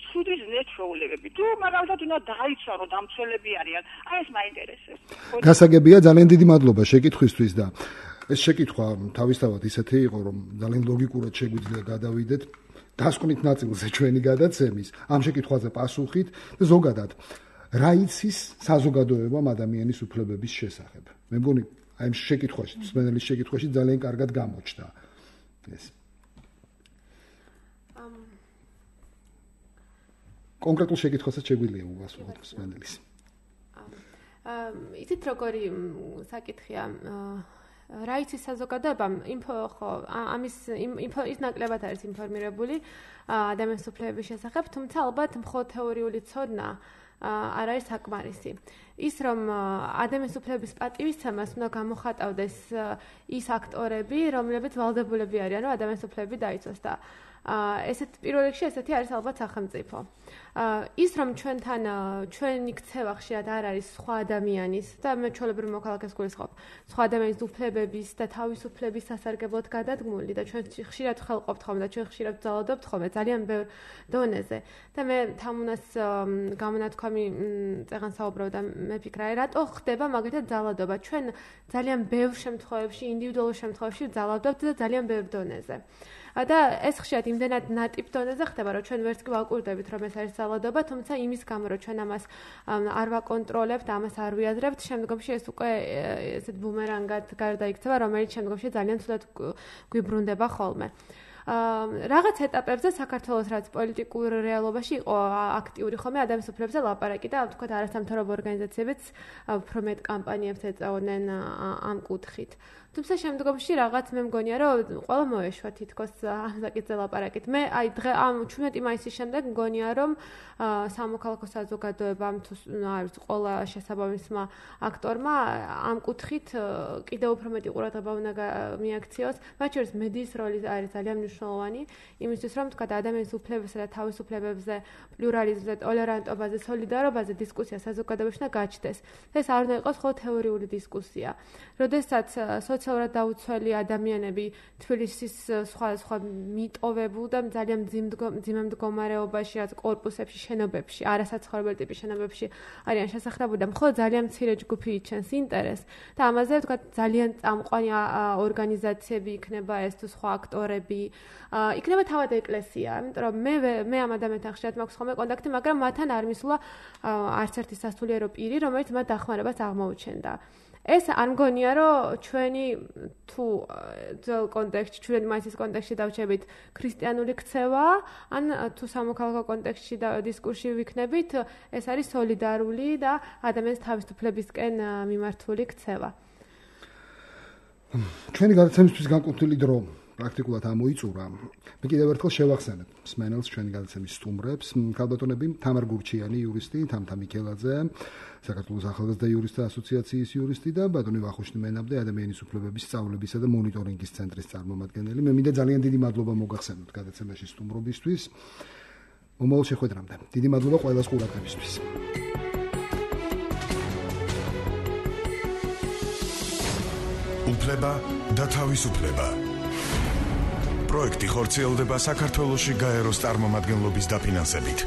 ცუდი ზნეჩვეულებები თუ მაგალითად უნდა დაიცვა რომ დამცველები არიან აი ეს მაინტერესებს გასაგებია ძალიან დიდი მადლობა შეკითხვისთვის და ეს შეკითხვა თავისთავად ისეთი იყო რომ ძალიან ლოგიკურად შეგვიძლია გადავიდეთ დასკვნით ნაწილზე ჩვენი გადაცემის ამ შეკითხვაზე პასუხით და ზოგადად რა იცის საზოგადოებამ ადამიანის უფლებების შესახებ მე მგონი აი ამ შეკითხვაში მსმენელის შეკითხვაში ძალიან კარგად გამოჩნდა ეს კონკრეტულ შეკითხვასაც შეგვიძლია უვასრულოთ მსმენელის იცით როგორი საკითხია რა იცის საზოგადოებამ ინფო ხო ამის ინფო ის ნაკლებად არის ინფორმირებული ადამიანის უფლებების შესახებ თუმცა ალბათ მხოლოდ თეორიული ცოდნა არ არის საკმარისი ის რომ ადამიანის უფლებების პატივისცემას უნდა გამოხატავდეს ის აქტორები რომლებიც ვალდებულები არიან რომ ადამიანის უფლებები დაიცვას და ესეთ პირველ რიგში ესეთი არის ალბათ სახელმწიფო ის რომ ჩვენთან ჩვენი ქცევა ხშირად არ არის სხვა ადამიანის და მე ჩვეულებრივ მოქალაქეს გულისხმობ სხვა ადამიანის უფლებების და თავისუფლების სასარგებლოდ გადადგმული და ჩვენ ხშირად ხელყოფთ ხოლმე და ჩვენ ხშირად ვძალადობთ ხოლმე ძალიან ბევრ დონეზე და მე თამუნას გამონათქვამი წეგან საუბრობდა მე ფიქრობ რატო ხდება მაგალითად ძალადობა ჩვენ ძალიან ბევრ შემთხვევებში ინდივიდუალურ შემთხვევებში ვძალადობთ და ძალიან ბევრ დონეზე და ეს ხშირად იმდენად ნატიფ დონეზე ხდება რომ ჩვენ ვერც კი ვაკურდებით რომ ეს არის ძალადობა თუმცა იმის გამო რომ ჩვენ ამას არ ვაკონტროლებთ ამას არ ვიაზრებთ შემდგომში ეს უკვე ესეთ ბუმერანგად გარდაიქცევა რომელიც შემდგომში ძალიან ცუდად გვიბრუნდება ხოლმე რაღაც ეტაპებზე საქართველოს რაც პოლიტიკურ რეალობაში იყო აქტიური ხოლმე ადამიანის უფლებებზე ლაპარაკი და თქვათ არასამთავრობო ორგანიზაციებიც უფრო მეტ კამპანიებს ეწეოდნენ ამ კუთხით თუმცა შემდგომში რაღაც მე მგონია რომ ყველა მოეშვა თითქოს ამ საკითხზე ლაპარაკით მე აი დღე ამ 17 მაისის შემდეგ მგონია რომ სამოქალაქო საზოგადოებამ თუ არის ყველა შესაბამისმა აქტორმა ამ კუთხით კიდევ უფრო მეტი ყურადღება უნდა მიაქციოს მათ შორის მედიის როლი არის ძალიან მნიშვნელოვანი იმისთვის რომ თქვა ადამიანის უფლებებსა და თავისუფლებებზე პლურალიზმზე ტოლერანტობაზე სოლიდარობაზე დისკუსია საზოგადოებაში უნდა გაჩნდეს ეს არ უნდა იყოს მხოლოდ თეორიული დისკუსია როდესაც სოციალურად დაუცველი ადამიანები თბილისის სხვა მიტოვებულ და ძალიან მძიმე მდგომარეობაში რაც კორპუსებში შენობებში არასაცხოვრებელი ტიპის შენობებში არიან შესაძლებელი და მხოლოდ ძალიან მცირე ჯგუფი იჩენს ინტერესს და ამაზე თქვა ძალიან წამყვანი ორგანიზაციები იქნება ეს თუ სხვა აქტორები იქნება თავად ეკლესია იმიტომ რომ მე ამ ადამიანთან ხშირად მაქვს ხოლმე კონტაქტი მაგრამ მათთან არ მისულა არც ერთი სასულიერო პირი რომელიც მათ დახმარებას აღმოუჩენდა ეს არ მგონია რომ ჩვენი თუ ძველ კონტექსტში ჩვენი მაისის კონტექსტში დავჩებით ქრისტიანული ქცევა ან თუ სამოქალაქო კონტექსტში და დისკურსში ვიქნებით ეს არის სოლიდარული და ადამიანის თავისუფლებისკენ მიმართული ქცევა ჩვენი გადაცემისთვის განკუთვნილი დრო პრაქტიკულად ამოიწურა. მე კიდევ ერთხელ შევახსენებ მსმენელს ჩვენი გადაცემის სტუმრებს, ქალბატონები თამარ გურჩიანი იურისტი, თამთა მიქელაძე, საქართველოს ახალგაზრდა იურისტთა ასოციაციის იურისტი და ბატონი ვახუშტი მენაბდე, ადამიანის უფლებების სწავლებისა და მონიტორინგის ცენტრის წარმომადგენელი. მე მინდა ძალიან დიდი მადლობა მოგახსენოთ გადაცემაში სტუმრობისთვის. მომავალ შეხვედრამდე. დიდი მადლობა ყველას ყურადღებისთვის. უფლება და თავისუფლება. პროექტი ხორციელდება საქართველოში გაეროს წარმომადგენლობის დაფინანსებით.